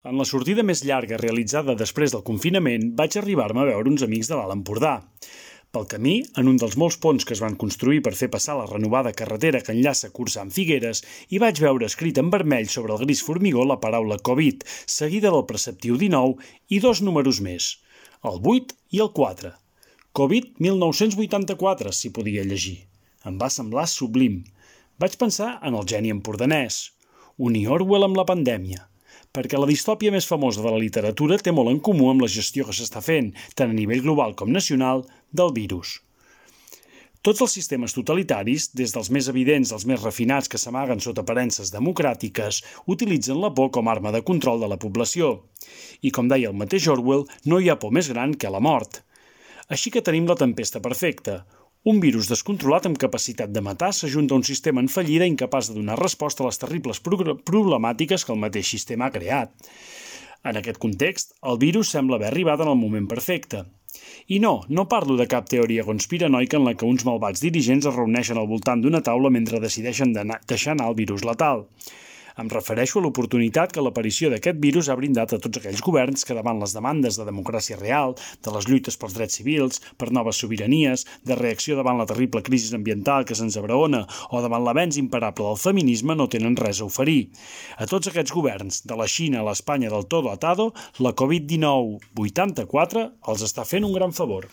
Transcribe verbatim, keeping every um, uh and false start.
En la sortida més llarga realitzada després del confinament, vaig arribar-me a veure uns amics de l'Alt Empordà. Pel camí, en un dels molts ponts que es van construir per fer passar la renovada carretera que enllaça Corçà amb Figueres, hi vaig veure escrit en vermell sobre el gris formigó la paraula Covid, seguida del preceptiu dinou i dos números més, el vuit i el quatre. Covid mil nou-cents vuitanta-quatre, s'hi podia llegir. Em va semblar sublim. Vaig pensar en el geni empordanès, un Orwell amb la pandèmia, perquè la distòpia més famosa de la literatura té molt en comú amb la gestió que s'està fent, tant a nivell global com nacional, del virus. Tots els sistemes totalitaris, des dels més evidents als més refinats que s'amaguen sota aparences democràtiques, utilitzen la por com a arma de control de la població. I com deia el mateix Orwell, no hi ha por més gran que la mort. Així que tenim la tempesta perfecta. Un virus descontrolat amb capacitat de matar s'ajunta a un sistema en fallida incapaç de donar resposta a les terribles problemàtiques que el mateix sistema ha creat. En aquest context, el virus sembla haver arribat en el moment perfecte. I no, no parlo de cap teoria conspiranoica en la que uns malvats dirigents es reuneixen al voltant d'una taula mentre decideixen deixar anar el virus letal. Em refereixo a l'oportunitat que l'aparició d'aquest virus ha brindat a tots aquells governs que davant les demandes de democràcia real, de les lluites pels drets civils, per noves sobiranies, de reacció davant la terrible crisi ambiental que se'ns abraona o davant l'avenç imparable del feminisme no tenen res a oferir. A tots aquests governs, de la Xina a l'Espanya del todo atado, la Covid dinou vuitanta-quatre els està fent un gran favor.